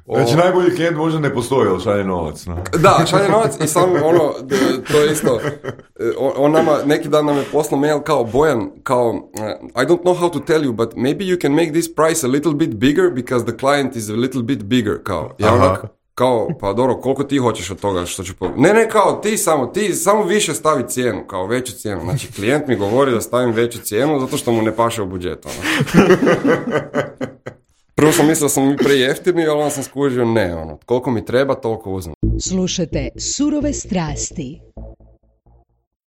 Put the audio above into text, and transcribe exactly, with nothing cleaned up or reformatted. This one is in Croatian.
Znači, najbolji klijent možda ne postoji, ali šalje novac. No? Da, šalje novac i samo ono, to je isto, on, on nama, neki dan nam je poslao mail kao Bojan, kao, I don't know how to tell you, but maybe you can make this price a little bit bigger because the client is a little bit bigger, kao. Ja onak, kao, pa dobro, koliko ti hoćeš od toga što ću... Po... Ne, ne, kao, ti samo, ti samo više stavi cijenu, kao veću cijenu. Znači, klijent mi govori da stavim veću cijenu zato što mu ne paše u budžetu. Ono. Prvo sam mislio da sam mi prejeftini, ali onda sam skužio, ne, ono, koliko mi treba, toliko uzmem. Slušajte Surove strasti.